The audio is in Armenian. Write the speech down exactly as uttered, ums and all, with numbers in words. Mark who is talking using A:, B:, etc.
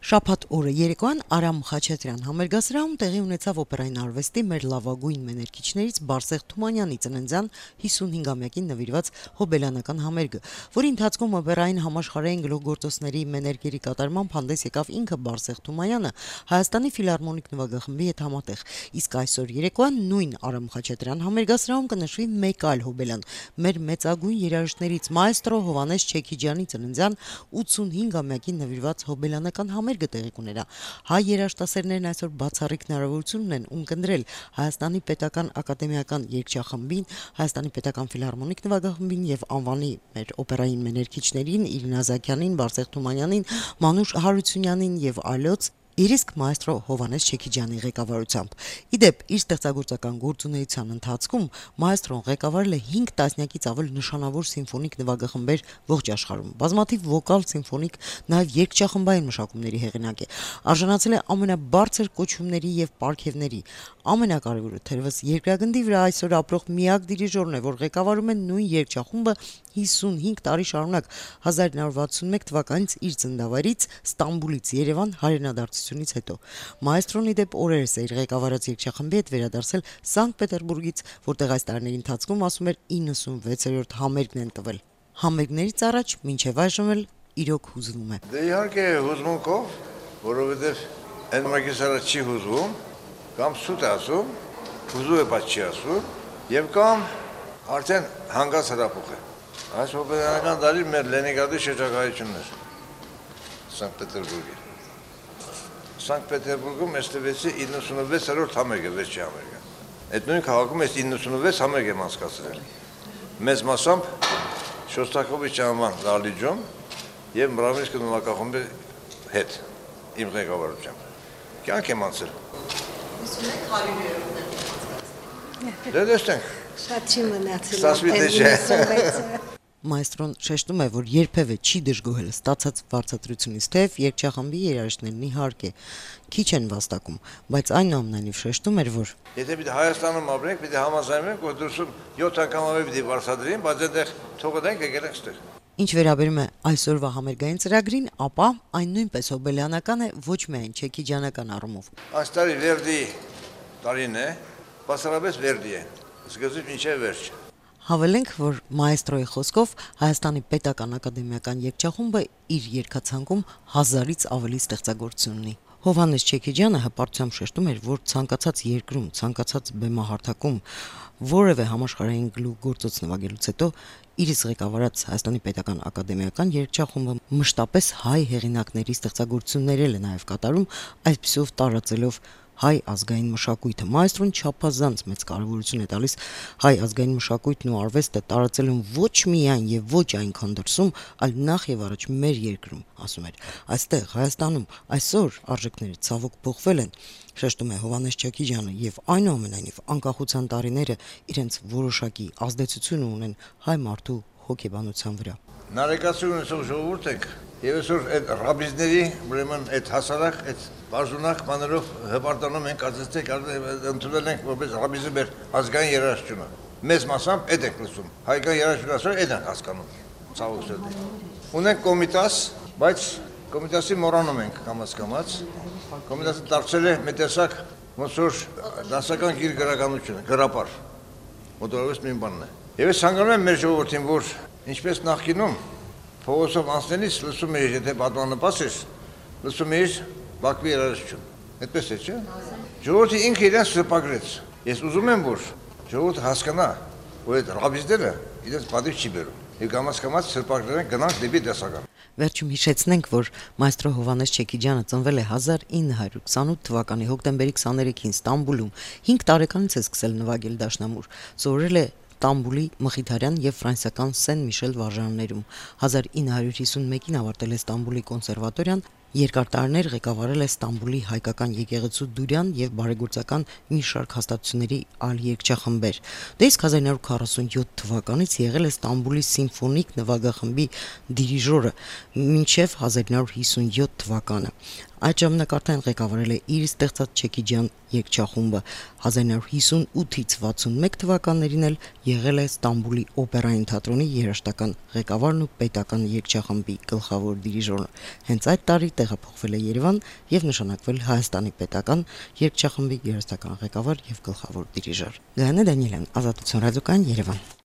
A: Շաբաթ օրը երեկոյան Արամ Խաչատրյան համերգասրահում տեղի ունեցավ օպերային արվեստի մեր լավագույն մեներկիչներից Բարսեղ Թումանյանի ծննդյան հիսունհինգամյակին նվիրված հոբելյանական համերգը, որի ընթացքում օպերային համաշխարհային գլուխգործոցների մեներգերի կատարմամբ հանդես եկավ ինքը Բարսեղ Թումանյանը Հայաստանի ֆիլհարմոնիկ նվագախմբի հետ համատեղ, իսկ այսօր երեկոյան նույն Արամ Խաչատրյան համերգասրահում կնշվի մեկ այլ հոբելյան, մեր մեծագույն երաժիշտներից մայստրո Հովհաննես Չեքիջյանի ծննդյան ութսունհինգամյակին նվիրված հոբելյանական համերգը տեղի կունենա։ Հայ երաժշտասերներն այսօր բացառիկ հնարավորություն ունեն ունկնդրել Հայաստանի պետական ակադեմիական երգչախմբին, Հայաստանի պետական ֆիլհարմոնիկ նվագախմբին եւ անվանի մեր օպերային մեներկիչներին Իրինա Զաքյանին, Բարսեղ Թումանյանին, Մանուշ Հարությունյանին եւ այլոց Իսկ մայստրո Հովհաննես Չեքիջյանի ղեկավարությամբ։ Իդեպ իր ստեղծագործական գործունեության ընթացքում մայստրոն ղեկավարել է հինգ տասնյակից ավել նշանավոր սիմֆոնիկ նվագախմբեր ողջ աշխարհում։ Բազմաթիվ վոկալ, սիմֆոնիկ, նաև երգչախմբային մշակումների հեղինակ է։ Արժանացել է ամենաբարձր կոչումների եւ պարգևների։ Ամենակարևորը թերևս երկրագնդի վրա այսօր ապրող միակ դիրիժորն է, որ ղեկավարում է նույն երգչախումբը հիսունհինգ տարի շարունակ հազար նոր վաթսունմեկ թվականից իր ծննդավայրից Ստամբուլից Երևան հայրենադարձությունից հետո։ Մայստրոն իդեպ օրերս է իր ղեկավարած երգչախմբի հետ վերադարձել Սանկտ Պետերբուրգից, որտեղ այս տարիների ընթացքում ասում էր իննսունվեցերորդ համերգն են տվել։ Համերգներից առաջ մինչև այժմ էլ իրոք հուզվում է։
B: Դե իհարկե հուզմունքով, որովհետև այն մագիստրը չի հուզվում, կամ սուտ է ասում, հուզում է բայց չի ասում, եւ կամ արդեն հանգած հրապուխ է։ Այս հոբելյանական դարի մեր Լենինգրադի շրջագայությունն էր Սանկտ Պետերբուրգի։ Սանկտ Պետերբուրգում ես տվեցի իննսունվեցերորդ համերգը, վերջի համերգը։ Այդ նույն քաղաքում ես իննսունվեց համերգ եմ անցկացրել։ Մեծ մասամբ Շոստակովիչ անվան դահլիճում եւ Մրավինսկի նվագախմբի հետ իմ ղեկավարությամբ։ Կյանք եմ անցել։ Դե տեսնենք։
C: Շատ չի մնացել։
A: Մայստրոն շեշտում է, որ երբևէ չի դժգոհել ստացած վարձատրությունից, թեև երգչախմբի երաժիշտներն իհարկե քիչ են վաստակում, բայց այնուամենայնիվ շեշտում էր, որ
B: եթե պիտի Հայաստանում ապրենք, պիտի համաձայնվենք, որ դուրսում յոթ անգամ ավելի պիտի վարձատրեին, բայց այնտեղ թողը դենք եկել ենք ստեղ։
A: Ինչ վերաբերում է այսօրվա համերգային ծրագրին, ապա այն նույնպես հոբելյանական է ոչ միայն չեքիջյանական առումով։
B: Այս տարի Վերդի տարին է, բացառապես Վերդի է, սկզբից մինչև վերջ։
A: Հավելենք, որ մայստրոյի խոսքով Հայաստանի պետական ակադեմիական երգչախումբը իր երգացանկում հազարից ավելի ստեղծագործություն ունի։ Հովհաննես Չեքիջյանը հպարտությամբ շեշտում էր, որ ցանկացած երկրում, ցանկացած բեմահարթակում որևէ համաշխարհային գլուխգործոց նվագելուց հետո իրից ղեկավարած Հայաստանի պետական ակադեմիական երգչախումբը մշտապես հայ հեղինակների ստեղծագործություններ է նաև կատարում, այսպիսով տարածելով հայ ազգային մշակույթը։ Մայստրոն չափազանց մեծ կարևորություն է տալիս հայ ազգային մշակույթն ու արվեստը տարածելուն ոչ միայն եւ ոչ այնքան դրսում, այլ նախ եւ առաջ մեր երկրում, ասում էր։ Այստեղ Հայաստանում այսօր արժեքները ցավոք փոխվել են, շեշտում է Հովհաննես Չեքիջյանը, եւ այնուամենայնիվ անկախության տարիները իրենց որոշակի ազդեցություն ունեն հայ մարդու հոգեբանության վրա։
B: Նարեկացություն ունեցող ժողովուրդ եք, եւ այսօր այդ ռաբիզների, ուրեմն այդ հասարակ, այդ բաժունակ մաներով հպարտանում ենք, ասեցեք, ընդունել ենք որպես ռաբիզը մեր ազգային երաժշտությունը։ Մեծ մասամբ այդ ենք լսում։ Հայկական երաժշտությունը այդ ենք հասկանում։ Ցավոք սրտի։ Ունենք կոմիտաս, բայց կոմիտասի մոռանում ենք կամաց-կամաց։ Կոմիտասը դարձել է մի տեսակ ոնց որ դասական գիր գրականություն, գրապար։ Մոտորապես մի բանն է։ Եվ ես ցանկանում եմ մեր ժողովրդին, որ ինչպես նախկինում փողոցով անցնելիս լսում էի, եթե պատմանապաս ես, լսում էի Բաքվի երաժշտություն։ Այդպես է, չէ՞։ Ժողովուրդը ինքը իրեն սրբագրեց։ Ես ուզում եմ, որ ժողովուրդը հասկանա, որ այդ ռաբիզները իրենց պատիվ չի բերում։ Եվ կամաց-կամաց սրբագրեն գնանք դեպի դասական։
A: Վերջում հիշեցնենք, որ մայստրո Հովհաննես Չեքիջյանը ծնվել է հազար ինը հարյուր քսանութ թվականի հոկտեմբերի քսաներեքին Ստամբուլում։ հինգ տարեկանից է սկսել նվագել դաշնամուր։ Սովորել է Ստամբուլի Մխիթարյան եւ ֆրանսիական Սեն Միշել վարժաններում։ հազար ինը հարյուր հիսունմեկին ավարտել է Ստամբուլի կոնսերվատորիան, երկար տարիներ ղեկավարել է Ստամբուլի հայկական եկեղեցու Դուրյան եւ բարեգործական մի շարք հաստատությունների այլ երգչախմբեր։ Դե իսկ հազար նոր քառասունյոթ թվականից եղել է Ստամբուլի սիմֆոնիկ նվագախմբի դիրիժորը մինչև հազար նոր հիսունյոթ թվականը։ Այդ ժամանակարտին ղեկավարել է իր ստեղծած Չեքիջյան երգչախումբը, հազար նոր հիսունութից վաթսունմեկ թվականներին էլ եղել է Ստամբուլի օպերային թատրոնի երաժշտական ղեկավարն ու պետական երգչախմբի գլխավոր դիրիժորը։ Հենց այդ տարի տեղափոխվել է Երևան եւ նշանակվել Հայաստանի պետական երգչախմբի երաժշտական ղեկավար եւ գլխավոր դիրիժոր։ Գայանե Դանիելյան, Ազատություն ռադիոկայան, Երևան։